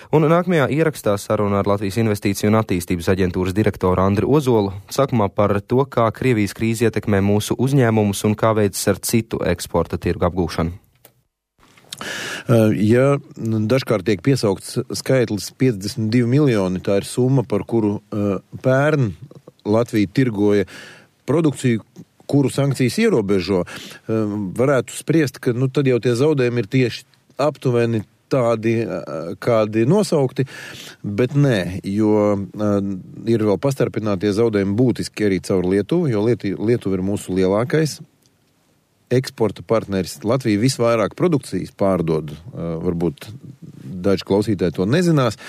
Un nākamajā ierakstā saruna ar Latvijas Investīciju un attīstības aģentūras direktoru Andri Ozolu sākumā par to, kā Krievijas krīze ietekmē mūsu uzņēmumus un kā veids ar citu eksporta tirgu apgūšanu. Ja dažkārt tiek piesaukts skaitlis 52 miljoni, tā ir summa, par kuru pērn Latvija tirgoja produkciju, kuru sankcijas ierobežo, varētu spriest, ka tad jau tie zaudējumi ir tieši aptuveni tādi, kādi nosaukti, bet nē, jo ir vēl pastarpinātie zaudējumi būtiski arī caur Lietuvu, jo Lietuva ir mūsu lielākais eksporta partneris. Latvija visvairāk produkcijas pārdod, varbūt daži klausītāji to nezinās,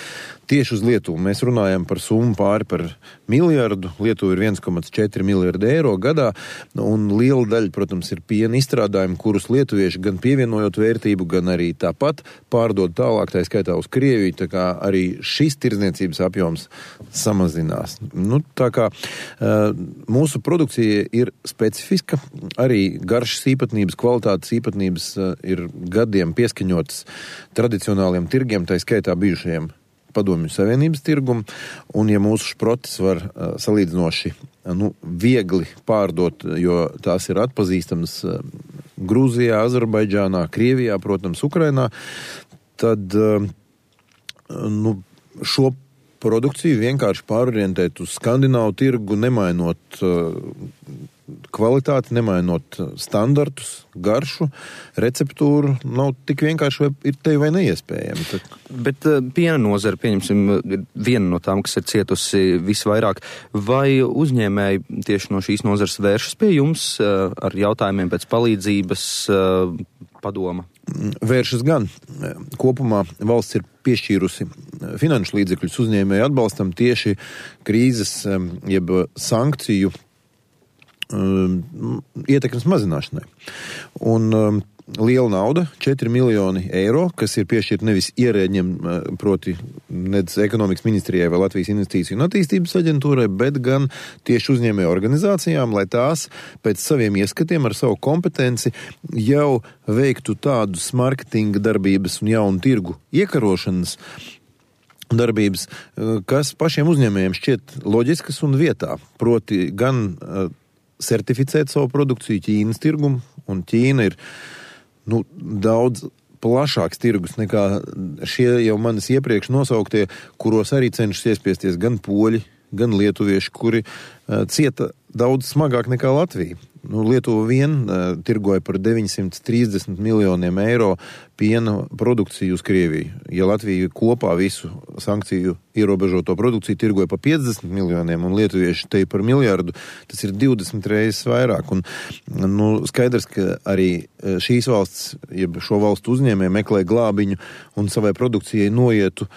tieši uz Lietuvu. Mēs runājam par summu pāri par miljardu, Lietuva ir 1,4 miljardi eiro gadā, un liela daļa, protams, ir piena izstrādājumi, kurus lietuvieši gan pievienojot vērtību, gan arī tāpat pārdod tālāk, tā skaitā uz Krieviju, tā kā arī šis tirdzniecības apjoms samazinās. Tā kā mūsu produkcija ir specifiska, arī garšas īpatnības, kvalitātes īpatnības ir gadiem pieskaņotas tradicionāliem tirgiem, tā skaitā bijušajiem Padomju Savienības tirgumu, un ja mūsu šprotis var salīdzinoši viegli pārdot, jo tās ir atpazīstamas Grūzijā, Azerbaidžānā, Krievijā, protams, Ukrainā, tad šo produkciju vienkārši pārorientēt uz skandināvu tirgu, nemainot kvalitāti, nemainot standartus, garšu, receptūru, nav tik vienkārši ir te vai neiespējami. Bet piena nozara, pieņemsim, ir viena no tām, kas ir cietusi visvairāk. Vai uzņēmēji tieši no šīs nozares vēršas pie jums ar jautājumiem pēc palīdzības padoma? Vēršas gan. Kopumā valsts ir piešķīrusi finanšu līdzekļus uzņēmēju atbalstam tieši krīzes, jeb sankciju ietekmes mazināšanai. Un liela nauda, 4 miljoni eiro, kas ir piešķirta nevis ierēģiem, proti nedz ekonomikas ministrijai vai Latvijas Investīciju un attīstības aģentūrai, bet gan tieši uzņēmēju organizācijām, lai tās pēc saviem ieskatiem ar savu kompetenci jau veiktu tādus marketinga darbības un jaunu tirgu iekarošanas darbības, kas pašiem uzņēmējiem šķiet loģiskas un vietā. Proti gan certificēt savu produkciju Ķīnas tirgumu, un Ķīna ir daudz plašāks tirgus nekā šie jau manis iepriekš nosauktie, kuros arī cenšas iespiesties gan poļi, gan lietuvieši, kuri cieta daudz smagāk nekā Latvija. Lietuva vien tirgoja par 930 miljoniem eiro piena produkciju uz Krieviju. Ja Latvija kopā visu sankciju ierobežoto produkciju tirgoja par 50 miljoniem un lietuvieši te par miljardu, tas ir 20 reizes vairāk. Un, skaidrs, ka arī šīs valsts, jeb šo valstu uzņēmēji meklē glābiņu un savai produkcijai noietu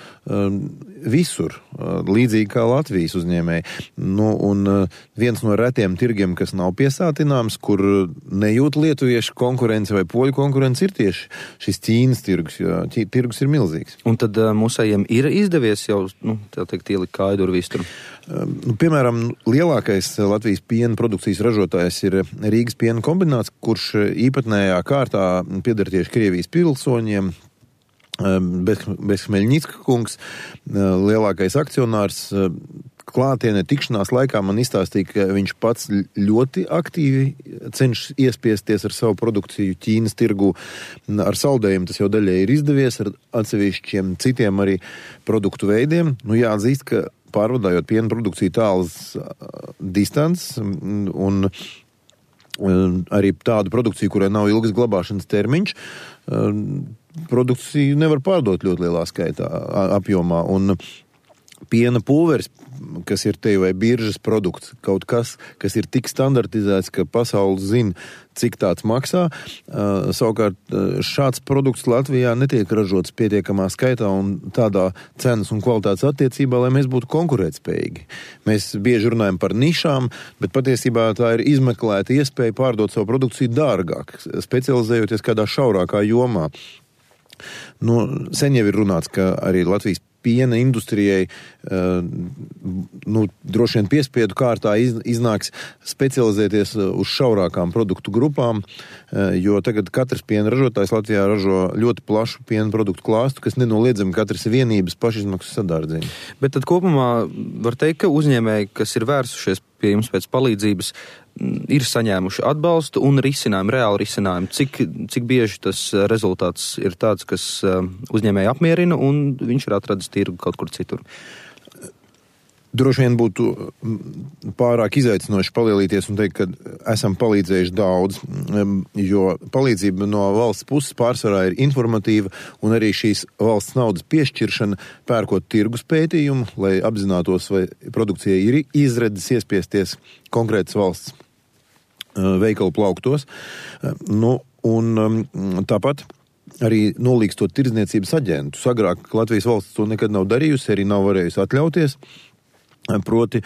visur, līdzīgi kā Latvijas uzņēmēji. Un viens no retiem tirgiem, kas nav piesātināms, kur nejūt lietuviešu konkurence vai poļu konkurence, ir tieši šis Ķīnas tirgus, jo tirgus ir milzīgs. Un tad mūsējiem ir izdevies jau, tā teikt, ielikt kāju durvīs tur? Piemēram, lielākais Latvijas piena produkcijas ražotājs ir Rīgas piena kombināts, kurš īpatnējā kārtā pieder tieši Krievijas pilsoņiem. Bezhmeļņicka kungs, lielākais akcionārs, klātienē tikšanās laikā man izstāstīja, ka viņš pats ļoti aktīvi cenšas iespiesties ar savu produkciju Ķīnas tirgu. Ar saldējumu tas jau daļai ir izdevies, ar atsevišķiem citiem arī produktu veidiem. Jāatzīst, ka pārvadājot piena produkciju tālas distants un arī tādu produkciju, kurai nav ilgas glabāšanas termiņš, produkciju nevar pārdot ļoti lielā skaitā apjomā. Un piena pulveris, kas ir te vai biržas produkts, kaut kas ir tik standartizēts, ka pasaule zina, cik tāds maksā. Savukārt šāds produkts Latvijā netiek ražots pietiekamā skaitā un tādā cenas un kvalitātes attiecībā, lai mēs būtu konkurētspējīgi. Mēs bieži runājam par nišām, bet patiesībā tā ir izmeklēta iespēja pārdot savu produkciju dārgāk, specializējoties kādā šaurākā jomā. Sen jau ir runāts, ka arī Latvijas piena industrijai droši vien piespiedu kārtā iznāks specializēties uz šaurākām produktu grupām, jo tagad katrs piena ražotājs Latvijā ražo ļoti plašu piena produktu klāstu, kas nenoliedzami katrs ir vienības pašizmaksas sadārdzina. Bet tad kopumā var teikt, ka uzņēmēji, kas ir vērsušies pie jums pēc palīdzības, ir saņēmuši atbalstu un risinājumu, reāli risinājumu. Cik bieži tas rezultāts ir tāds, kas uzņēmēji apmierina un viņš ir atradis tirgu kaut kur citur? Droši vien būtu pārāk izaicinoši palielīties un teikt, ka esam palīdzējuši daudz, jo palīdzība no valsts puses pārsvarā ir informatīva un arī šīs valsts naudas piešķiršana, pērkot tirgus pētījumu, lai apzinātos, vai produkcijai ir izredzes iespiesties konkrētas valsts veikalu plauktos. Tāpat arī nolīgstot tirdzniecības aģentus. Agrāk Latvijas valsts to nekad nav darījusi, arī nav varējusi atļauties. Proti,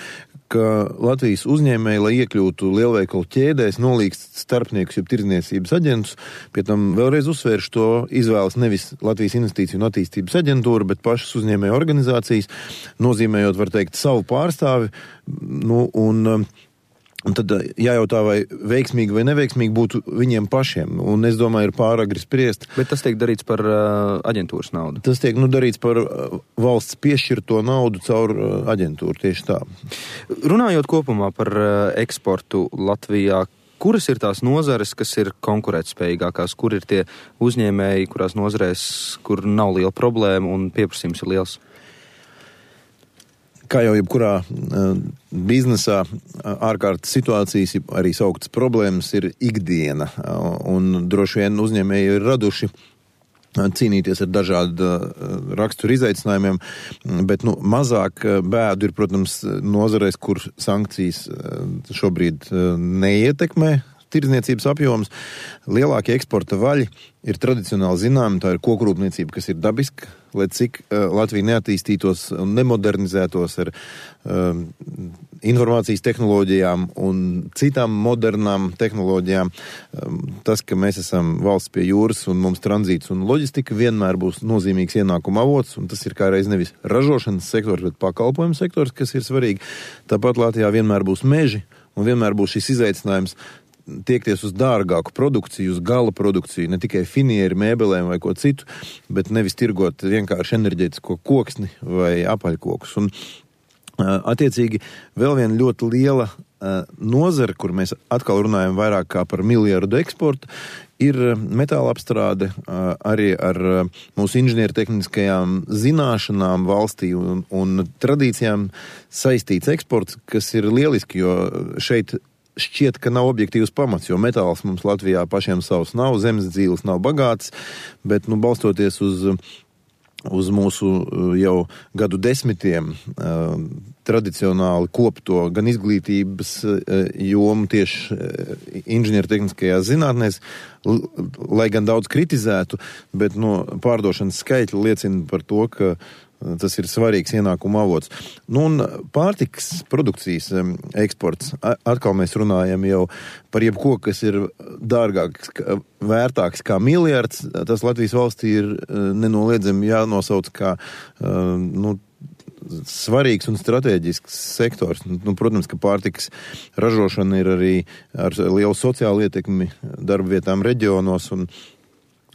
ka Latvijas uzņēmēji, lai iekļūtu lielveikalu ķēdēs, nolīgst starpniekus, jeb tirdzniecības aģentus, pie tam vēlreiz uzsvēršu to izvēlas nevis Latvijas Investīciju un attīstības aģentūra, bet pašas uzņēmēju organizācijas, nozīmējot, var teikt, savu pārstāvi, un tad jājautā, vai veiksmīgi vai neveiksmīgi būtu viņiem pašiem. Un es domāju, ir pāragri spriest. Bet tas tiek darīts par aģentūras naudu? Tas tiek darīts par valsts piešķirto naudu caur aģentūru, tieši tā. Runājot kopumā par eksportu Latvijā, kuras ir tās nozares, kas ir konkurētspējīgākās? Kur ir tie uzņēmēji, kurās nozarēs, kur nav liela problēma un pieprasījums ir liels? Kā jau jebkurā biznesā, ārkārtas situācijas, arī sauktas problēmas ir ikdiena, un droši vien uzņēmēji ir raduši cīnīties ar dažādu raksturu izaicinājumiem, bet mazāk bēdu ir, protams, nozarēs, kur sankcijas šobrīd neietekmē tirdzniecības apjoms. Lielākie eksporta vaļi ir tradicionāli zināmi, tā ir kokrūpniecība, kas ir dabiska, lai cik Latvija neattīstītos un nemodernizētos ar informācijas tehnoloģijām un citām modernām tehnoloģijām. Tas, ka mēs esam valsts pie jūras un mums tranzīts un loģistika vienmēr būs nozīmīgs ienākuma avots, un tas ir kā reiz nevis ražošanas sektors, bet pakalpojumu sektors, kas ir svarīgi. Tāpat Latvijā vienmēr būs meži un vienmēr būs šis izaicinājums tiekties uz dārgāku produkciju, uz gala produkciju, ne tikai finieri, mēbelēm vai ko citu, bet nevis tirgot vienkārši enerģētisko koksni vai apaļkokus. Un attiecīgi vēl viena ļoti liela nozara, kur mēs atkal runājam vairāk kā par miljardu eksportu, ir metāla apstrāde arī ar mūsu inženiertehniskajām zināšanām valstī un tradīcijām saistīts eksports, kas ir lieliski, jo šeit šķiet, ka nav objektīvs pamats, jo metāls mums Latvijā pašiem savs nav, zemes dzīves nav bagāts, bet balstoties uz mūsu jau gadu desmitiem tradicionāli kopto gan izglītības jomu tieši inženiertehniskajās zinātnēs, lai gan daudz kritizētu, bet pārdošanas skaitļi liecina par to, ka tas ir svarīgs ienākuma avots. Un pārtikas produkcijas eksports, atkal mēs runājam jau par jebko, kas ir dārgāks, vērtāks kā miljards, tas Latvijas valstī ir nenoliedzami jānosauc kā svarīgs un strateģisks sektors. Protams, ka pārtikas ražošana ir arī ar lielu sociālu ietekmi darba vietām reģionos, un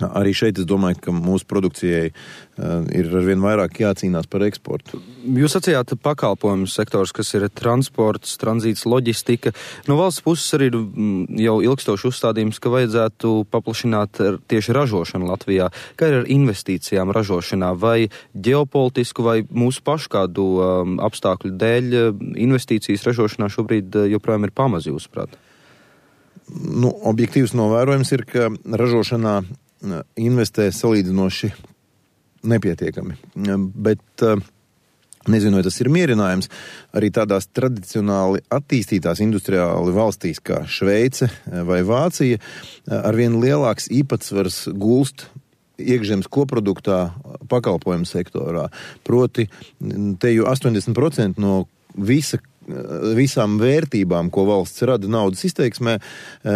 arī šeit es domāju, ka mūsu produkcijai ir arvien vairāk jācīnās par eksportu. Jūs sacījāt pakalpojumu sektors, kas ir transports, tranzīts, loģistika. No valsts puses arī jau ilgstoši uzstādījums, ka vajadzētu paplašināt tieši ražošanu Latvijā. Kā ir ar investīcijām ražošanā? Vai ģeopolitisku vai mūsu pašu kādu apstākļu dēļ investīcijas ražošanā šobrīd joprojām ir pamaz, jūsuprāt? Objektīvs novērojums ir, ka ražošanā investē salīdzinoši nepietiekami. Bet nezinu, vai tas ir mierinājums. Arī tādās tradicionāli attīstītās industriāli valstīs kā Šveice vai Vācija arvien lielāks īpatsvars gulst iekšzemes koproduktā pakalpojumu sektorā. Proti, te jau 80% no visām vērtībām, ko valsts rada naudas izteiksmē,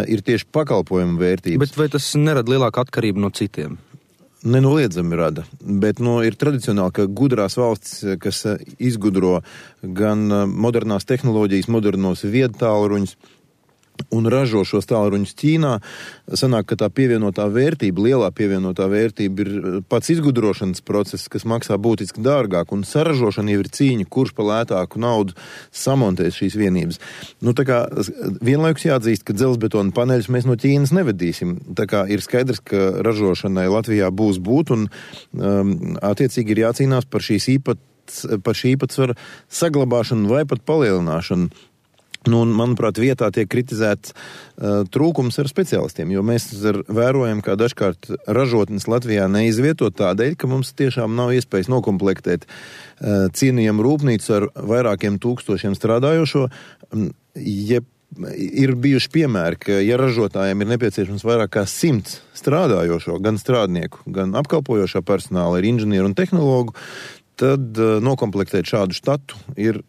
ir tieši pakalpojumu vērtības. Bet vai tas nerada lielāku atkarību no citiem? nenoliedzami rada, bet ir tradicionāli, ka gudrās valstis, kas izgudro gan modernās tehnoloģijas, modernos viedtālruņus un ražo šos tālruņus Ķīnā, sanāk, ka tā pievienotā vērtība, lielā pievienotā vērtība ir pats izgudrošanas process, kas maksā būtiski dārgāk, un saražošana jau ir cīņa, kurš pa lētāku naudu samontēs šīs vienības. Tā kā vienlaikus jāatzīst, ka dzelzbetona paneļus mēs no Ķīnas nevedīsim. Tā kā ir skaidrs, ka ražošanai Latvijā būs būt, un attiecīgi ir jācīnās par šī īpatsvara saglabāšanu vai pat palielināšanu. Un, manuprāt, vietā tiek kritizēts trūkums ar speciālistiem, jo mēs vērojam, kā dažkārt ražotnes Latvijā neizvieto tādēļ, ka mums tiešām nav iespējas nokomplektēt cienījamu rūpnīcu ar vairākiem tūkstošiem strādājošo. Ir bijuši piemēri, ka ja ražotājiem ir nepieciešams vairāk kā 100 strādājošo, gan strādnieku, gan apkalpojošā personāla, ir inženieru un tehnologu, tad nokomplektēt šādu štatu ir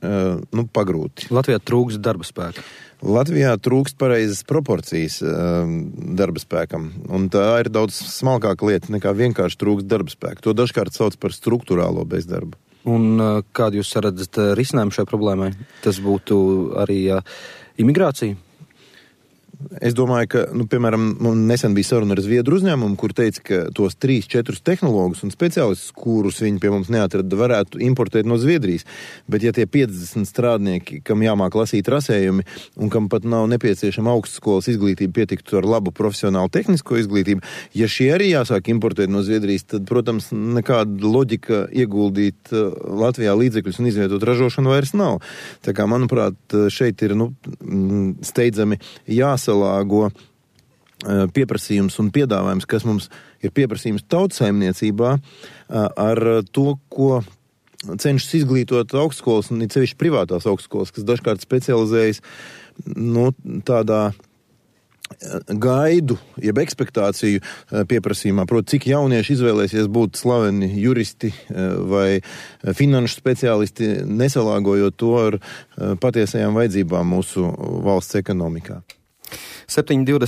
pagrūti. Latvijā trūkst darba spēka. Latvijā trūkst pareizas proporcijas darba spēkam, un tā ir daudz smalkāka lieta nekā vienkārši trūkst darba spēka. To dažkārt sauc par struktūrālo bezdarbu. Un kādu jūs redzat risinājumu šai problēmai? Tas būtu arī imigrācija? Es domāju, ka, piemēram, nesen bija saruna ar Zviedru uzņēmumu, kur teica, ka tos 3-4 tehnologus un speciālistus, kurus viņi pie mums neatrada, varētu importēt no Zviedrijas. Bet ja tie 50 strādnieki, kam jāmāk lasīt rasējumi un kam pat nav nepieciešama augstskolas izglītība, pietiktu ar labu profesionālu tehnisko izglītību, ja šie arī jāsāk importēt no Zviedrijas, tad, protams, nekāda loģika ieguldīt Latvijā līdzekļus un izvietot ražošanu vairs nav. Tā kā, manuprāt, šeit ir steidzami jāsalāgo pieprasījums un piedāvājums, kas mums ir pieprasījums tautsaimniecībā ar to, ko cenšas izglītot augstskolas un it sevišķi privātās augstskolas, kas dažkārt specializējas tādā gaidu, jeb ekspektāciju pieprasījumā. Proti, cik jaunieši izvēlēsies būt slaveni juristi vai finanšu speciālisti, nesalāgojot to ar patiesajām vajadzībām mūsu valsts ekonomikā. 7:20